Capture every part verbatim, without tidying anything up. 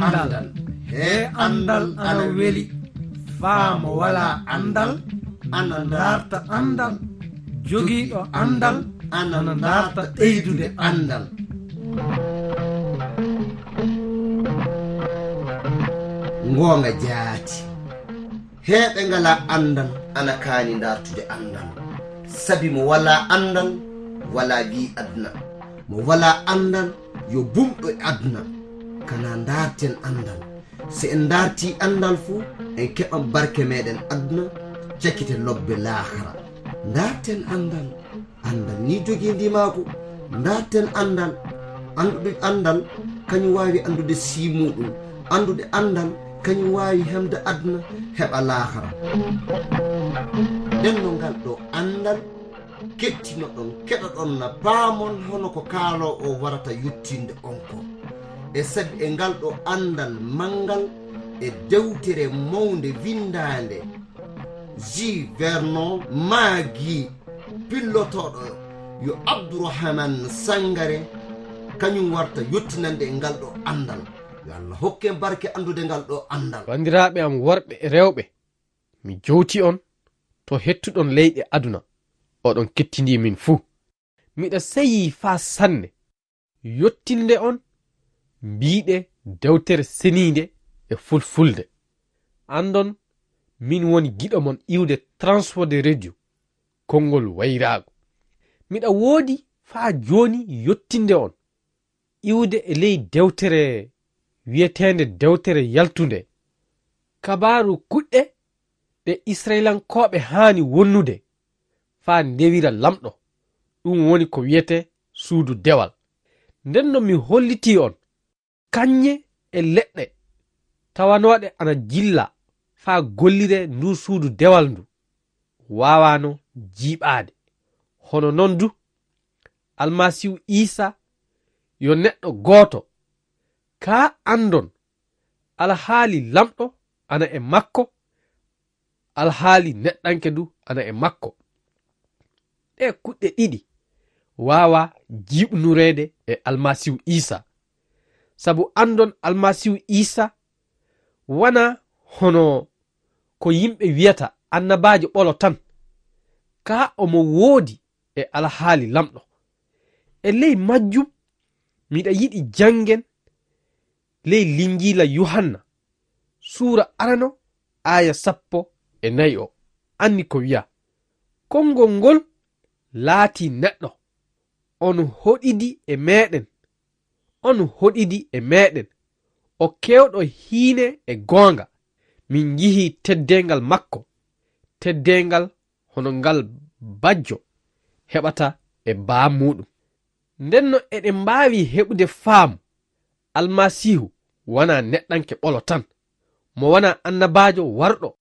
Anndal. He anndal ana weli. Faa mo walaa anndal ana ndaarta anndal. Jogiiɗo anndal ana ndaarta ɓeydude anndal. Ngoonga jaati. He ɓe ngalaa anndal ana kaani ndaartude anndal. Sabi mo walaa anndal, walaa giy aduna. Mo walaa anndal, yo bumɗo e aduna. Kana ndaarten anndal. Si en ndaartii anndal fu, en keɓan barke meɗen aduna, cakite lobbe laakara. Ndaarten anndal. Anndal ni jogii ndimaagu. Ndaarten anndal. Anndude anndal, kañum waawi anndude sii muuɗum. Anndude anndal, kañum waawi hemde aduna, heɓa laakara. Nden no ngal ɗo anndal, kettinoɗon, keɗoɗon na paamon hono ko kaaloowo o warata yottinde on ko. E sabi e ngal ɗo anndal manngal e dewtere mawnde winndaande, J. Vernon Magee, pillotooɗo yo Abdourahmane Sangaré, kañum warta yottinande e ngal ɗo anndal. Yo Allah hokke en barke anndude ngal ɗo anndal. Banndiraaɓe am worɓe e rewɓe, mi jowti on to hettuɗon leyɗe aduna, oɗon kettindii min fuu. Miɗa seyii faa sanne yottinde on mbiiɗe dewtere seniinde e fulfulde. Anndon, min woni giɗo mon iwde Transworld Radio, konngol wayraagu. Miɗa woodi faa jooni yottinde on iwde e ley dewtere wi'eteende Dewtere Yaltunde, kabaaru kuɗɗe ɗe Isra'ilankooɓe haani wonnude faa ndewira Laamɗo, ɗum woni ko wi'etee suudu dewal. Nden no mi hollitii on kañe e leɗɗe tawanooɗe ana jillaa faa golliree nduu suudu dewal ndu waawaano jiiɓaade. Hono non du, Almasiihu Iisaa yo neɗɗo gooto, kaa anndon alhaali Laamɗo ana e makko, alhaali neɗɗanke du ana e makko. Ɗee kuɗɗe ɗiɗi waawaa jiiɓnureede e Almasiihu Iisaa. Sabu anndon Almasiihu Iisaa wanaa hono ko yimɓe wi'ata annabaajo ɓolo tan, kaa omo woodi e alhaali Laamɗo. E ley majjum, miɗa yiɗi janngen ley Linjiila Yuhanna, suura arano, aaya sappo e nayi o, anni ko wi'a: Konngol ngol laatii neɗɗo, on hoɗidi e meɗen, on hoɗidi e meɗen, o keewɗo hiine e goonga. Min njihii teddeengal makko, teddeengal hono ngal bajjo heɓata e baa muuɗum. Ndenno eɗen mbaawi heɓude faamu Almasiihu wanaa neɗɗanke ɓolo tan, mo wanaa annabaajo warɗo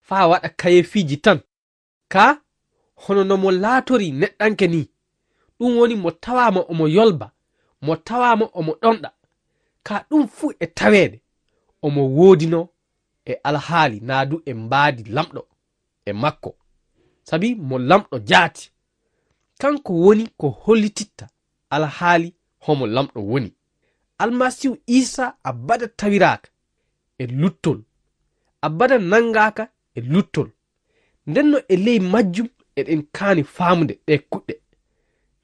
faa waɗa kayeefiiji tan. Kaa hono no mo laatorii neɗɗanke nii, ɗum woni mo tawaama omo yolba, mo tawaama omo ɗonɗa. Kaa ɗum fuu e taweede omo woodinoo e alhaali naa du e mbaadi Laamɗo e makko, sabi mo Laamɗo jaati. Kanko woni ko hollititta alhaali homo Laamɗo woni. Almasiihu Iisaa abada tawiraaka e luttol, abada nanngaaka e luttol. Ndenno e ley majjum eɗen kaani faamude ɗee kuɗɗe.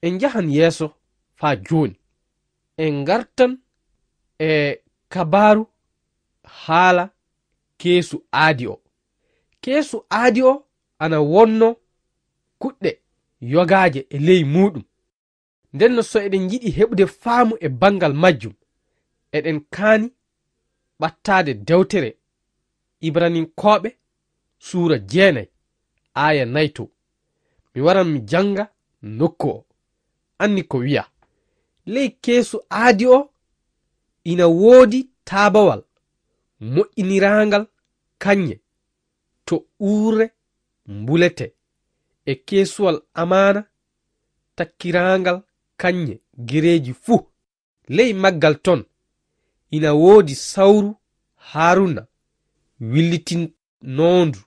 En njahan yeeso faa jooni. En ngartan e kabaaru haala keesu aadi o. Keesu aadi o ana wonno kuɗɗe yogaaje e ley muuɗum. Ndenno so eɗen njiɗi heɓude faamu e banngal majjum, eɗen kaani ɓattaade dewtere Ibraninkooɓe suura jeenay, aaya nayi to. Mi waran mi jannga nokku o. Anni ko wi'a: Ley keesu aadi o ina woodi taabawal moƴƴiniraangal kañŋe to uurre mbuletee, e keesuwal amaana takkiraangal kañŋe gereeji fuu. Ley maggal ton ina woodi sawru Haruna willitinoondu,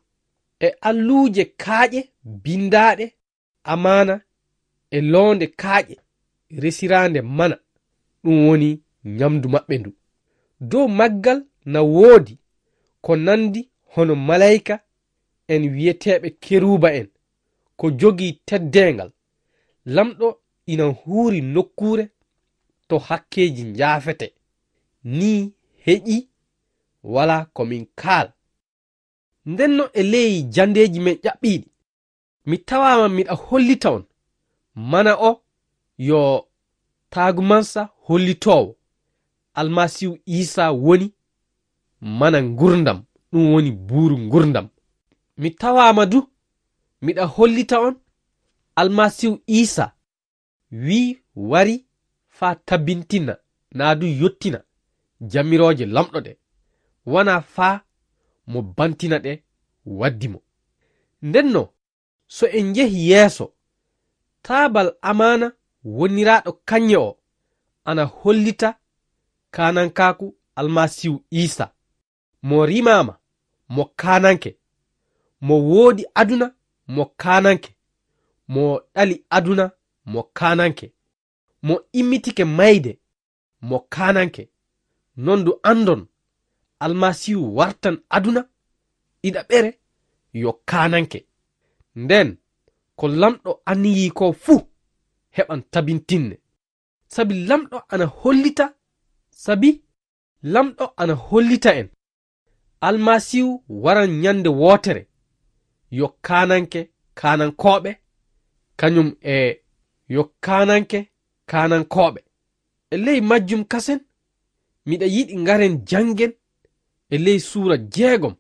e alluuje kaaƴe binndaaɗe amaana, e loonde kaaƴe resiraande mana, ɗum woni ñamdu maɓɓe ndu. Dow maggal na woodi ko nandi hono maleyka en wi'eteeɓe keruuba en, ko jogii teddeengal. Lamɗo ina huuri nokkuure to hakkeeji njaafete. Nii heƴii, walaa ko min kaala. Ndenno e ley janndeeji men ƴaɓɓiiɗi, mi tawaama miɗa hollita on, mana o yo taagumansa hollitoowo, Almasiihu Iisaa woni mana ngurndam, ɗum woni buuru ngurndam. Mi tawaama du miɗa hollita on, Almasiihu Iisaa wii wari faa tabintina naa du yottina jamirooje Lamɗo ɗe, wanaa faa mo bantina ɗe waddi mo. Ndenno, so en njehi yeeso, taabal amaana woniraaɗo kaŋŋe o ana hollita kaanankaaku Almasiihu Iisaa. Mo rimaama, mo kaananke. Mo woodi aduna, mo kaananke. Mo ɗali aduna, mo kaananke. Mo immitike mayde, mo kaananke. Non du anndon, Almasiihu wartan aduna ɗiɗaɓere yo kaananke. Nden, ko Lamɗo anniyii ko fuu heɓan tabintinne. Sabi Lamɗo ana hollita, sabi Lamɗo ana hollita en, Almasiihu waran nyannde wootere, yo kaananke kaanankooɓe, kañum e yo kaananke kaanankooɓe. E ley majjum kasen, miɗa yiɗi ngaren janngen e ley suura jeegom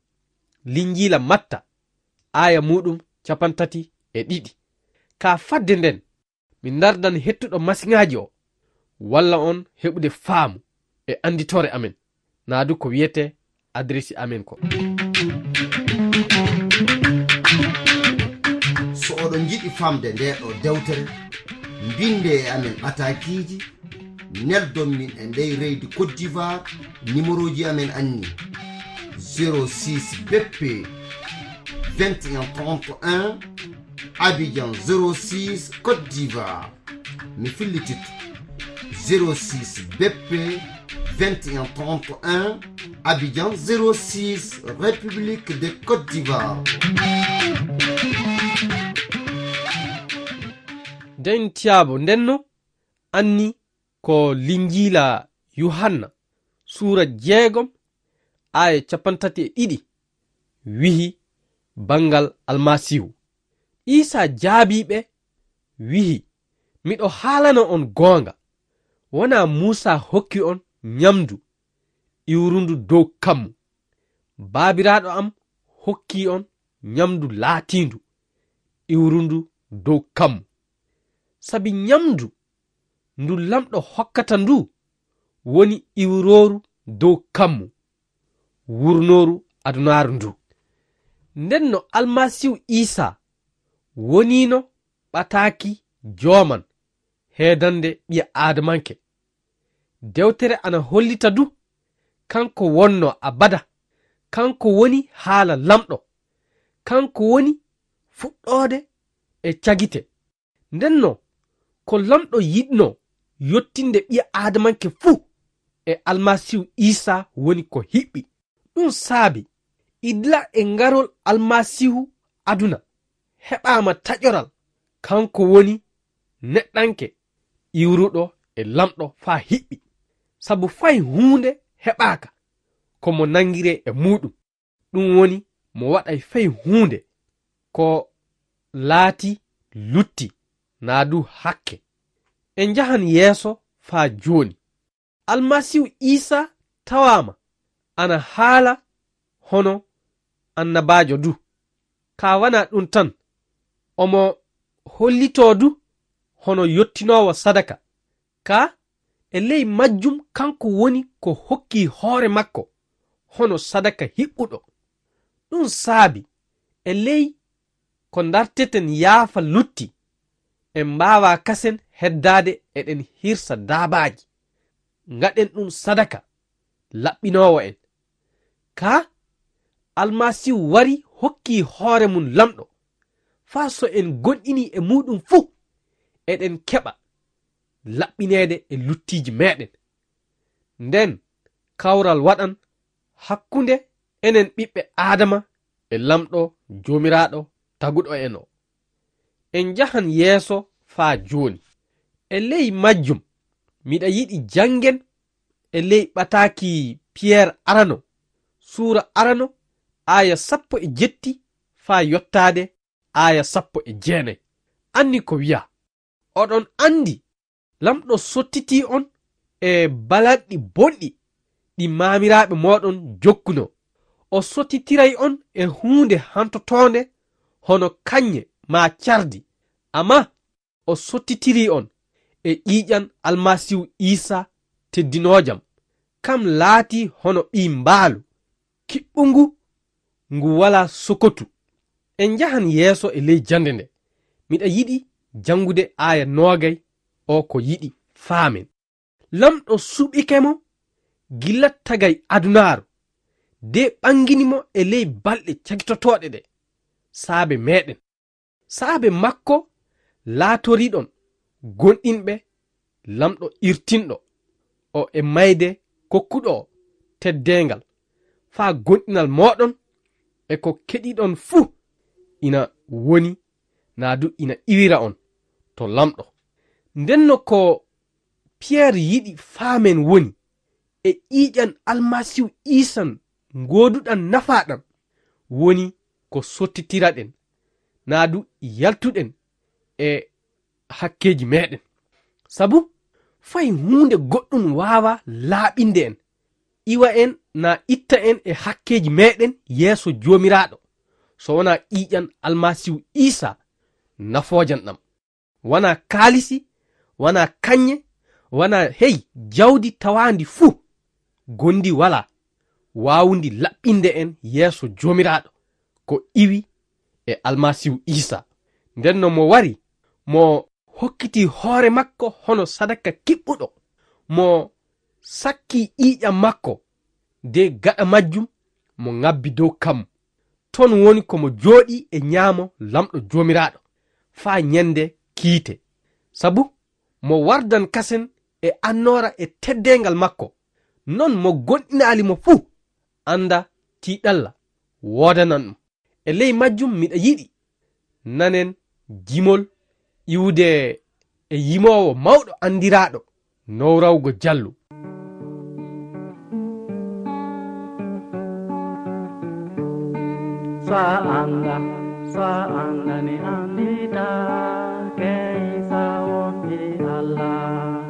Linjiila Matta, aaya muuɗum capantati e ɗiɗi. Ka fadde nden, mi ndardan hettuɗo masiŋaaji o, walla on heɓude faamu e annditoore amen, naa du ko wiyete adresi amen ko. So oɗon njiɗi famde nde ɗo dewtere, mbinde e amen ɓataakiiji, neldon min e ndey reydi Côte d'Ivoire, nimerooji amen anni: zéro six B P vingt et un trente et un, Abidjan zéro six, Côte d'Ivoire. Mi fillititto: zéro six B P vingt et un trente et un, Abidjan zéro six, République de Côte d'Ivoire. Den tiyaabo ndenno anni ko Linjiila Yuhanna, suura jeegom, aaya capantati e ɗiɗi, wihi banngal Almasiihu. Iisaa jaabii ɓe, wihi: Miɗo haalana on goonga, wanaa Muusaa hokki on nyamndu iwrundu dow kammu. Baabiraaɗo am hokkii on nyamndu laatiindu iwrundu dow kammu. Sabi nyamndu ndu Lamɗo hokkata ndu woni iwrooru dow kammu, wurnooru adunaaru ndu. Ndenno Almasiihu Iisaa woniino ɓataaki jooman heedande ɓiya aadamanke. Dewtere ana hollita du, kanko wonno abada, kanko woni haala Lamɗo, kanko woni fuɗɗoode e cagite. Ndenno, ko Lamɗo yiɗno yottinde ɓiya aadamanke fuu e Almasiihu Iisaa woni ko hiɓɓi. Ɗum saabi, idla e ngarol Almasiihu aduna, heɓaama taƴoral, kanko woni neɗɗanke iwruɗo e Lamɗo faa hiɓɓi. Sabu fay huunde heɓaaka ko mo nanngiree e muuɗum. Ɗum woni mo waɗay fay huunde ko laati lutti naa du hakke. En njahan yeeso faa jooni. Almasiihu Iisaa tawaama ana haala hono annabaajo du. Kaa wanaa ɗum tan, omo hollitoo du hono yottinoowo sadaka. Kaa e ley majjum kanko woni ko hokki hoore makko hono sadaka hiɓɓuɗo. Ɗum saabi e ley ko ndarteten yaafa lutti, en mbaawaa kasen heddaade eɗen hirsa daabaaji, ngaɗen ɗum sadaka laɓɓinoowo en. Kaa Almasiihu wari hokki hoore mum Lamɗo, faa so en goonɗinii e muuɗum fuu, eɗen keɓa laɓɓineede e luttiiji meeɗen. Nden, kawral waɗan hakkunde enen ɓiɓɓe Aadama e Laamɗo Joomiraaɗo taguɗo en o. En njahan yeeso faa jooni. E ley majjum, miɗa yiɗi janngen e ley ɓataaki Piyer arano, suura arano, aaya sappo e jetti faa yottaade aaya sappo e jeenay. Anni ko wi'a, oɗon anndi Laamɗo sottitii on e balanɗi bonɗi ɗi maamiraaɓe mooɗon jokkunoo. O sottitiray on e huunde hantotoonde hono kañe maa cardi, ammaa o sottitirii on e ƴiiƴan Almasiihu Iisaa teddinoojam. Kam laatii hono ɓii mbaalu kiɓɓungu ngu walaa sokotu. En njahan yeeso e ley jannde nde. Miɗa yiɗi janngude aaya noogay o ko yiɗi faamen. Laamɗo suɓike mo gilla tagay adunaaru, de ɓangini mo e ley balɗe cagitotooɗe ɗe, saabe meɗen. Saabe makko laatoriɗon gonɗinɓe Laamɗo irtinɗo o e mayde kokkuɗo o teddeengal, faa gonɗinal mooɗon e ko keɗiɗon fuu ina woni, naa du ina iwira on to Laamɗo. Ndenno ko Piyer yiɗi faamen woni, e ƴiiƴan Almasiihu Iisan ngooduɗan nafaa ɗan, woni ko sottitiraɗen, naa du yaltuɗen e hakkeeji meɗen. Sabu fay huunde goɗɗum waawaa laaɓinde en, iwa en naa itta en e hakkeeji meɗen yeeso Joomiraaɗo, so wanaa ƴiiƴan Almasiihu Iisaa nafoojan ɗam. Wanaa kaalisi, wanaa kañe, wanaa hey jawdi tawaandi fuu, gondi walaa waawundi laɓɓinde en yeeso Joomiraaɗo ko iwi e Almasiihu Iisaa. Ndenno mo wari, mo hokkitii hoore makko hono sadaka kiɓɓuɗo, mo sakkii ƴiiƴam makko, de gaɗa majjum mo ŋabbi dow kammu. Ton woni ko mo jooɗii e ñaamo Laamɗo Joomiraaɗo faa ñande kiite. Sabu mo wardan kasen e annoora e teddeengal makko, non mo gonɗinaali mo fuu, annda tiiɗalla woodanan ɗum. E ley majjum miɗa yiɗi nanen jimol iwude e yimoowo mawɗo anndiraaɗo Nowrawgo Jallo. So a annda, so a anndani anndita, key sa wonti Allah.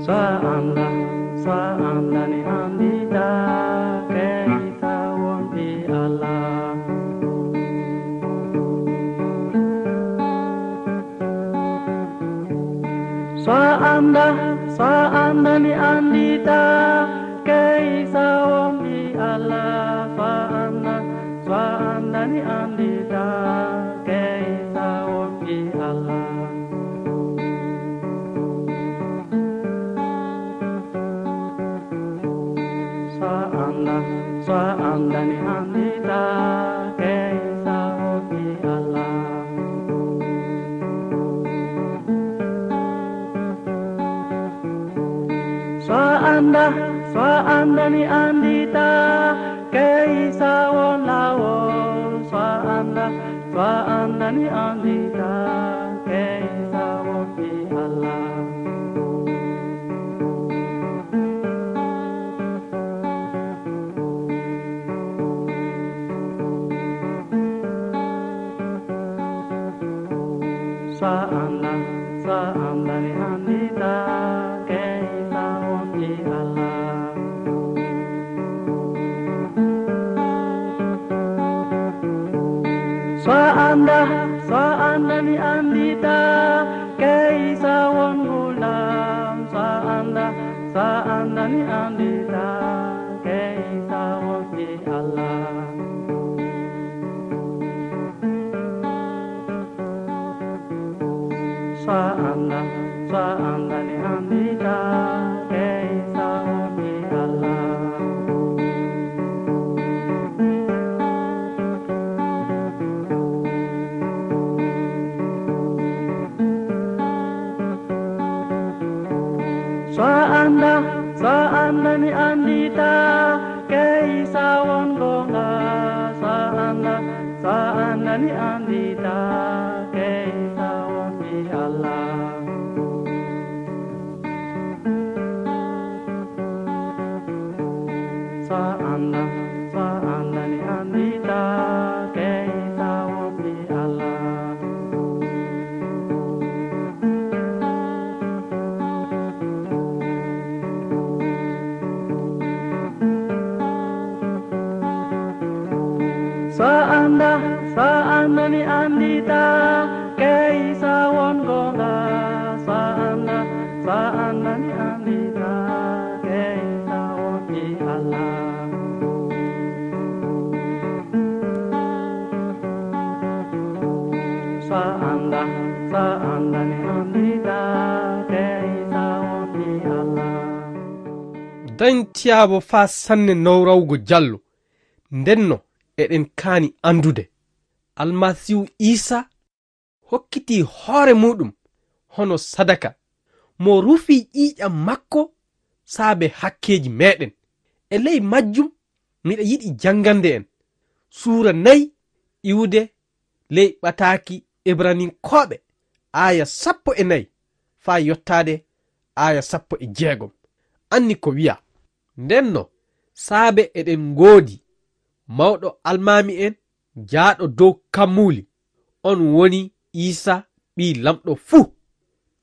So a annda, so a anndani anndita, key sa wonti Allah. So a annda, so a anndani anndita, key sa wonti Allah. So a annda, so a anndani anndita, key sa wonti Allah. So a annda, so a anndani anndita, key sa wonti Allah. So a annda, so a anndani anndita, key sa won laawol. So a annda, so a anndani anndita, key sa wonti Allah. So a annda, so a anndani anndita, key sa wonti Allah. So a annda, so a anndani anndita, key sa won nguurndam. So a annda, so a anndani anndita, key sa wonti Allah. So a annda, so a anndani anndita, key sa wonti Allah. Sa andani andita kay sa won gonga. Sa anda, sa andani andita kay sa won fi Allah. Sa anda, sa andani andita kay sa won fi Allah. Sa anda, sa andani andita kay sa won gonga. Sa anda, sa andani andita kay sa won fi Allah. Sa anda, sa andani andita kay sa won fi Allah. Dañtiyaabo faa sanne nowrawgo jallo. Ndenno eɗen kaani anndude Almasiihu Iisa hokkiti hoore muuɗum hono sadaka, mo rufi ƴiiƴam makko saabe hakkeeji meeɗen. E ley majjum miɗa yiɗi janngande en suura nayi iwde ley ɓataaki Ibraninkooɓe, aaya sappo e nayi faa yottaade aaya sappo e jeegom. Anni ko wiya, ndenno saabe eɗen ngoodi mawɗo almaami en jaaɗo dow kammuuli, on woni Iisa ɓii lamɗo fuu,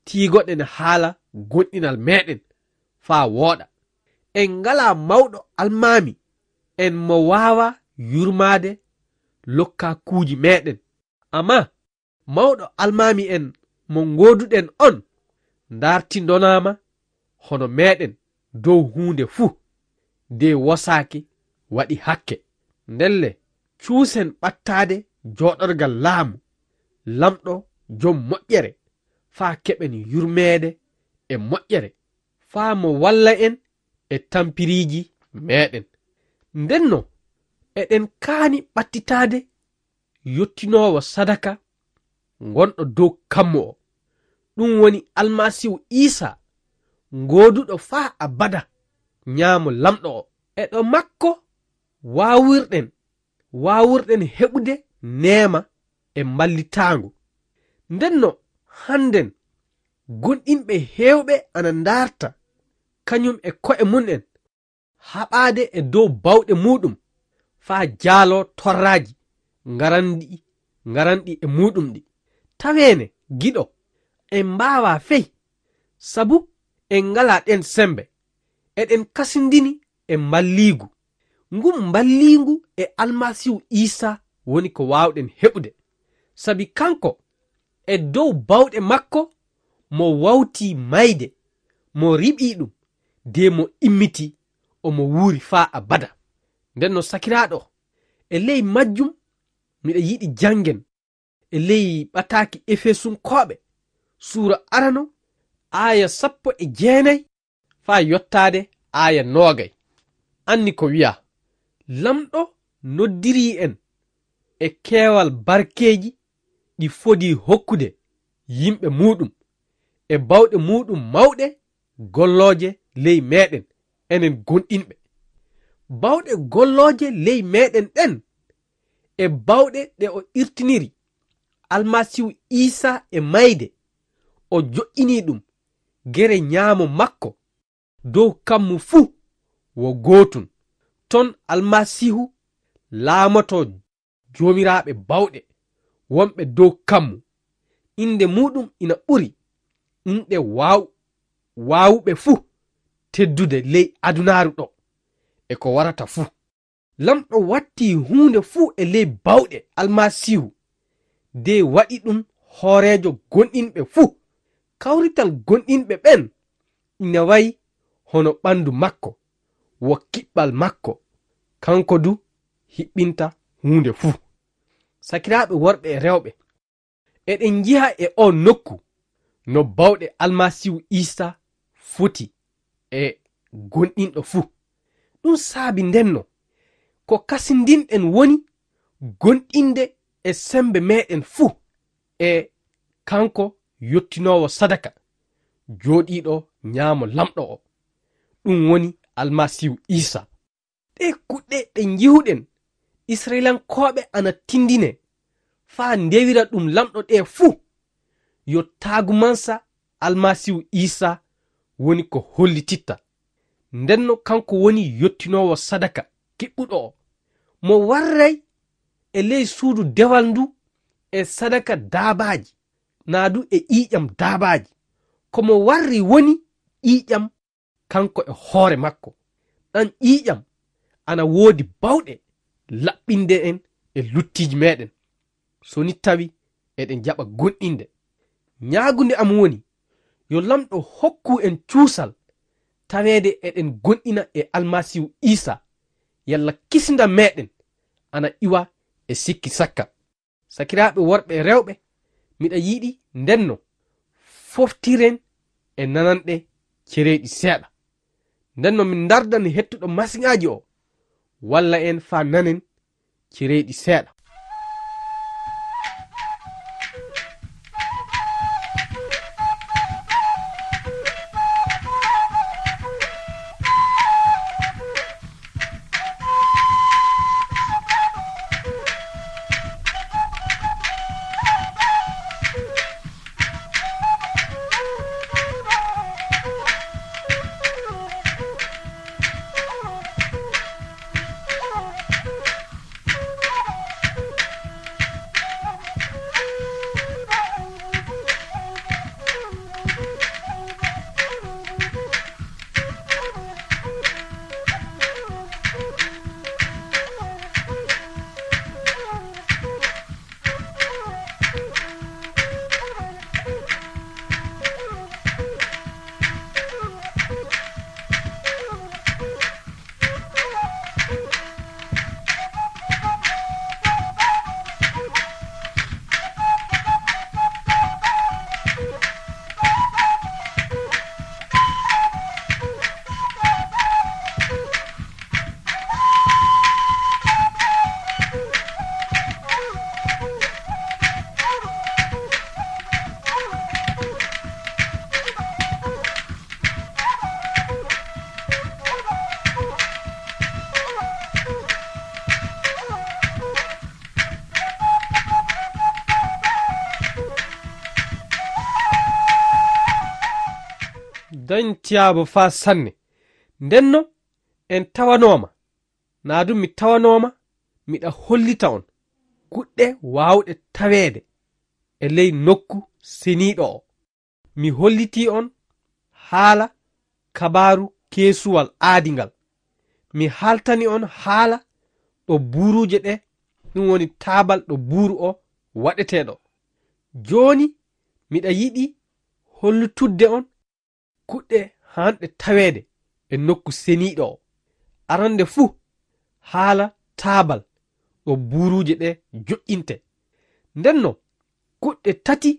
tiigoɗen haala gonɗinal meeɗen faa wooɗa. En ngalaa mawɗo almaami en mo waawa yurmaade lokkakuuji meeɗen. Amma mawɗo almaami en mo ngooduɗen on, ndartindonaama hono meeɗen dow huunde fuu, de wosaaki waɗi hakke. Ndelle, cuusen ɓattaade jooɗorgal laamu, lamɗo jom moƴƴere, faa keɓen yurmeede e moƴƴere, faa mo walla en e tampiriiji meeɗen. Ndenno, eɗen kaani ɓattitaade yottinoowo sadaka gonɗo dow kammu o, ɗum woni Almasiihu Iisa, gooduɗo faa abada, nyaamo Lamɗo o. E ɗo makko waawirɗen, waawirɗen heɓude neema e mballitaango. Ndenno, hannden, gonɗinɓe heewɓe ana ndaarta, kañum e ko'e mum en, haɓaade e dow bawɗe muuɗum, faa jaaloo torraaji ngaranɗi, ngaranɗi e muuɗum ɗi. Taweene, giɗo, en mbaawaa fey, sabu en ngalaa ɗeen semmbe. Eɗen kasindini e mballiigu. Ngun mballiingu e Almasiihu Iisa woni ko waawɗen heɓude. Sabi kanko, e dow bawɗe makko, mo wawtii mayde, mo riɓii ɗum, de mo immitii, omo wuuri faa abada. Nden no sakiraaɗo, e ley majjum miɗa yiɗi janngen e ley ɓataaki Efesunkooɓe, suura arano, aaya sappo e jeenay faa yottaade aaya noogay. Anni ko wiyaa, Lamɗo noddirii en e keewal barkeeji ɗi fodii hokkude yimɓe muuɗum, e bawɗe muuɗum mawɗe gollooje ley meeɗen, enen gonɗinɓe. Bawɗe gollooje ley meeɗen ɗen, e bawɗe ɗe o irtiniri Almasiihu Iisa e mayde, o joƴƴinii ɗum gere nyaamo makko dow kammu fuu wo gootun. Ton Almasiihu laamotoo joomiraaɓe bawɗe wonɓe dow kammu. Innde muuɗum ina ɓuri inɗe waaw-, waawuɓe fuu teddude ley adunaaru ɗo e ko warata fuu. Lamɗo wattii huunde fuu e ley bawɗe Almasiihu, de waɗi ɗum hooreejo gonɗinɓe fuu. Kawrital gonɗinɓe ɓen ina wayi hono ɓanndu makko, wo kiɓɓal makko, kanko du hiɓɓinta huunde fuu. Sakiraaɓe worɓe e rewɓe, eɗen njiha e oo nokku no bawɗe Almasiihu Iisa foti e gonɗinɗo fuu. Ɗum saabi ndenno, ko kasindinɗen woni gonɗinde e semmbe meeɗen fuu e kanko yottinoowo sadaka, jooɗiiɗo nyaamo Lamɗo o. ɗum woni Almasiihu Iisaa. Ɗee kuɗɗe ɗe njihuɗen Israyilankooɓe ana tindine faa ndewira ɗum Laamɗo ɗee fuu, yo taagumansa Almasiihu Iisaa woni ko hollititta. Ndenno kanko woni yottinoowo sadaka kiɓɓuɗo o, mo warray e ley suudu dewal ndu e sadaka daabaaji, naa du e ƴiiƴam daabaaji. Ko mo warri woni ƴiiƴam kanko e hoore makko. Ɗan ƴiiƴam ana woodi bawɗe laɓɓinde en e luttiiji meeɗen, so ni tawi eɗen jaɓa goonɗinde. Ñaagunde am woni, yo Laamɗo hokku en cuusal taweede eɗen goonɗina e Almasiihu Iisaa, yalla kisndam meeɗen ana iwa e sikki sakka. Sakiraaɓe worɓe e rewɓe, miɗa yiɗi ndenno foftiren e nananɗe cereeɗi seeɗa. Ndenno min ndardan hettuɗo masiŋaaji o, walla en faa nanen cereeɗi seeɗa. Dañ tiyaabo faa sanne. Ndenno en tawanooma, naa du mi tawanooma, miɗa hollita on kuɗɗe waawɗe taweede e ley nokku seniiɗo o. Mi hollitii on haala kabaaru keesuwal aadi ngal. Mi haaltani on haala ɗo buuruuje ɗe, ɗum woni taabal ɗo buuru o waɗetee ɗo. Jooni miɗa yiɗi hollitudde on kuɗɗe haanɗe taweede e nokku seniiɗo o. Arande fuu, haala taabal ɗo buuruuje ɗe joƴƴintee. Ndenno, kuɗɗe tati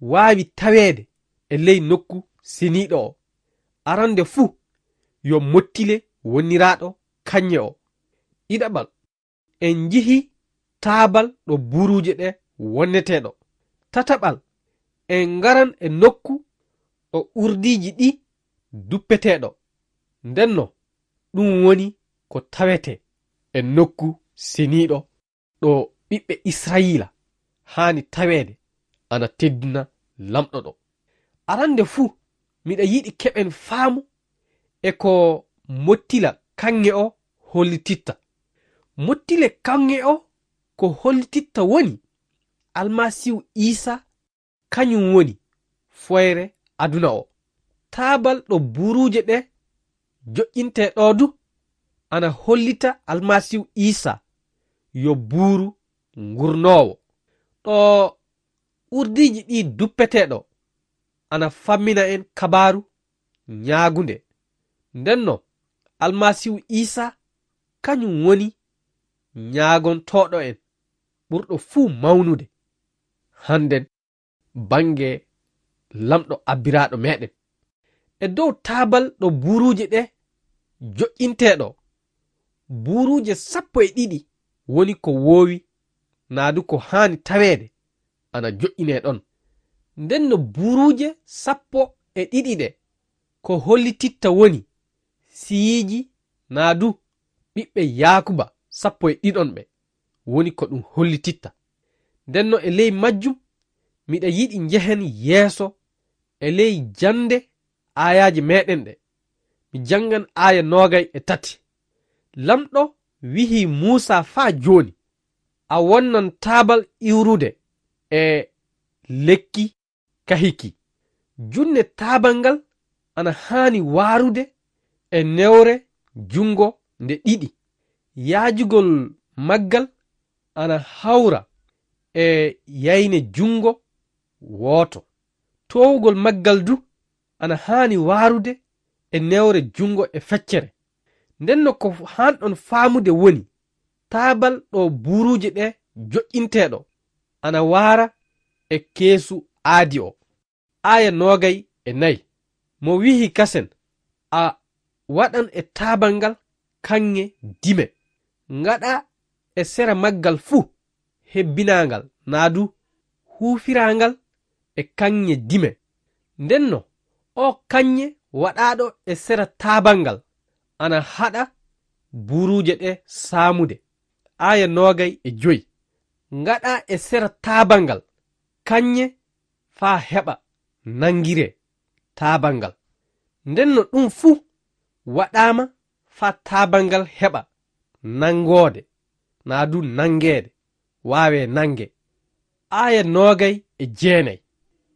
waawi taweede e ley nokku seniiɗo o. Arande fuu, yo mottile woniraaɗo kaŋŋe o. Ɗiɗaɓal, en njihii taabal ɗo buuruuje ɗe wonnetee ɗo. Tataɓal, en ngaran e nokku ɗo urdiiji ɗi duppetee ɗo. Ndenno, ɗum woni ko tawetee e nokku seniiɗo ɗo ɓiɓɓe Israa'iila haani taweede ana teddina Laamɗo ɗo. Arande fuu, miɗa yiɗi keɓen faamu e ko mottila kaŋŋe o hollititta. Mottile kaŋŋe o ko hollititta woni Almasiihu Iisaa, kañum woni foyre aduna o. Taabal ɗo buuruuje ɗe joƴƴintee ɗo du ana hollita Almasiihu Iisaa yo buuru ngurnoowo. Ɗo urdiiji ɗi duppetee ɗo ana fammina en kabaaru ñaagunde. Ndenno, Almasiihu Iisaa kañum woni ñaagontooɗo en ɓurɗo fuu mawnude hannden bannge Laamɗo abbiraaɗo meeɗen. E dow taabal ɗo buuruuje ɗe joƴƴintee ɗo, buuruuje sappo e ɗiɗi woni ko woowi naa du ko haani taweede ana joƴƴinee ɗon. Ndenno buuruuje sappo e ɗiɗi ɗe ko hollititta woni siyiiji, naa du ɓiɓɓe Yaakuba sappo e ɗiɗon ɓe, woni ko ɗum hollititta. Ndenno e ley majjum, miɗa yiɗi njehen yeeso e ley jannde aayaaje meɗen ɗe. Mi janngan aaya noogay e tati. Lamɗo wihi Muusa faa jooni, a wonnan taabal iwrude e lekki kahiki. Junne taabal ngal ana haani waarude e newre junngo nde ɗiɗi. Yaajugol maggal ana hawra e yayne junngo wooto. Toowugol maggal du ana haani waarude e newre junngo e feccere. Ndenno ko haanɗon faamude woni taabal ɗo buuruuje ɗe joƴƴinteeɗo ana waara e keesu aadi o. Aaya noogay e nay. Mo wihi kasen, a waɗan e taabal ngal kaŋŋe dime. Ngaɗa e sera maggal fuu hebbinaangal naa du huufiraangal e kaŋŋe dime. Ndenno o kaŋŋe waɗaaɗo e sera taabal ngal ana haɗa buuruuje ɗe saamude. Aaya noogay e joy. Ngaɗa e sera taabal ngal kaŋŋe faa heɓa nanngiree taabal ngal. Ndenno ɗum fuu waɗaama faa taabal ngal heɓa nanngoode, naa du nanngeede, waawee nannge. Aaya noogay e jeenay.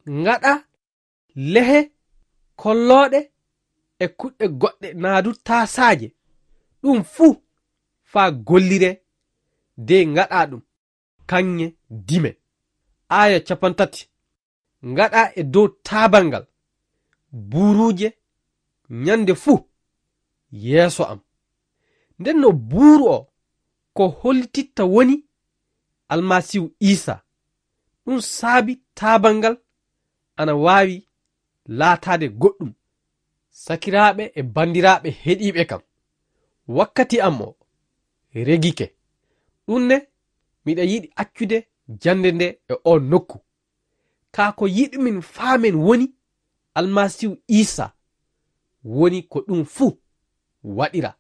Ngaɗa lehe kollooɗe e kuɗɗe goɗɗe naa du taasaaje, ɗum fuu faa golliree de ngaɗa ɗum kaŋŋe dime. Aaya capantati. Ngaɗa e dow taabal ngal buuruuje nyannde fuu yeeso am. Ndenno buuru o ko hollititta woni Almasiihu Iisa. Ɗum saabi taabal ngal ana waawi laataade goɗɗum. Sakiraaɓe e banndiraaɓe heɗiiɓe kam, wakkati am o regike. Ɗum ne, miɗa yiɗi accude jannde nde e oo nokku. Kaa ko yiɗumin faamen woni Almasiihu Iisa woni ko ɗum fuu waɗira.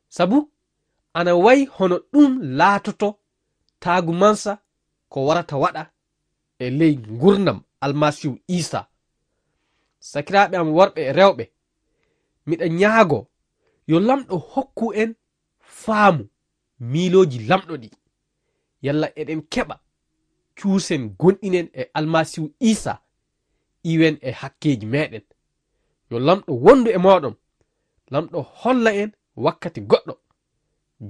Sabu ana wayi hono ɗum laatoto taagumansa ko warata waɗa e ley ngurnam Almasiihu Iisa. Sakiraaɓe am worɓe e rewɓe, miɗa ñaago yo Lamɗo hokku en faamu miilooji Lamɗo ɗi. Yalla eɗen keɓa cuusen gonɗinen e Almasiihu Iisa, iwen e hakkeeji meɗen. Yo Lamɗo wondu e mooɗon. Lamɗo holla en wakkati goɗɗo.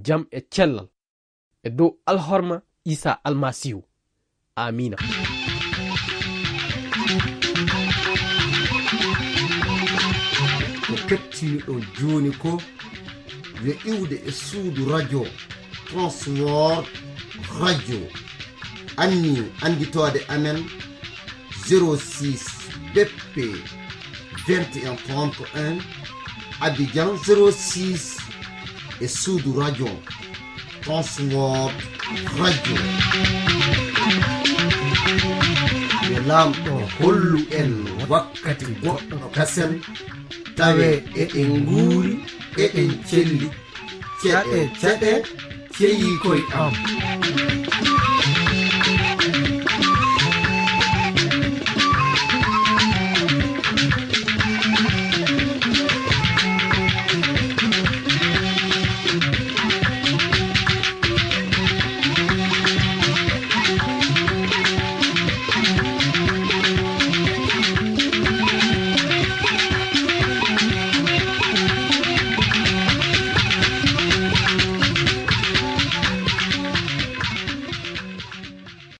Jam e cellal e dow alhorma Iisa Almasiihu. Aamiina. Ko keɓtiiɗon jooni ko yo iwde e suudu radio Transworld Radio. Anni annditoode amen zéro six B P vingt et un trente et un, Abidjan zéro six, e suudu radio Transworld Radio. Yo Laamɗo hollu en wakkati goɗɗo kasen, tawe eɗen nguuri, eɗen celli. Ceɗe, ceɗe, ceyi koy am.